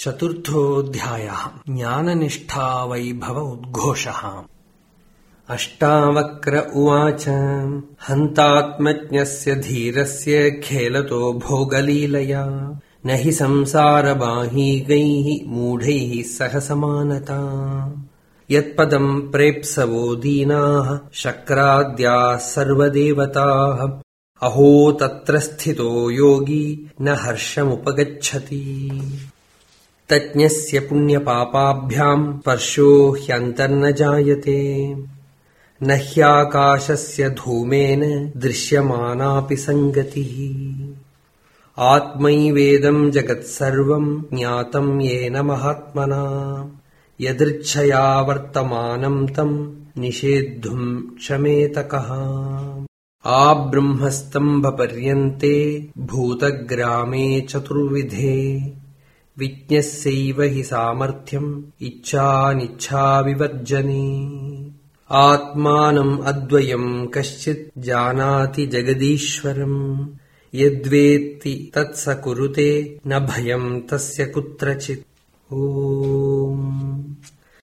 चतुर्थोऽध्यायः ज्ञाननिष्ठा वैभव उद्घोषः। अष्टावक्र उवाच हन्तात्मज्ञस्य धीरस्य खेलतो भोगलीलया न हि संसारबाहीगैः मूढैः सह समानता। यत्पदम् प्रेप्सवो दीनाः शक्राद्याः सर्वदेवताः अहो तत्र स्थितो योगी न हर्षमुपगच्छति। तज्ञस्य पुण्यपापाभ्याम् स्पर्शो ह्यन्तर्न जायते न ह्याकाशस्य धूमेन दृश्यमानापि सङ्गतिः। आत्मैवेदम् जगत्सर्वम् ज्ञातम् येन महात्मना यदृच्छया वर्तमानम् तम् निषेद्धुम् क्षमेत कः। आब्रह्मस्तम्भपर्यन्ते भूतग्रामे चतुर्विधे विज्ञस्यैव हि सामर्थ्यम् इच्छानिच्छाविवर्जने। आत्मानम् अद्वयम् कश्चित् जानाति जगदीश्वरम् यद्वेत्ति तत्स कुरुते न भयम् तस्य कुत्रचित्। ओ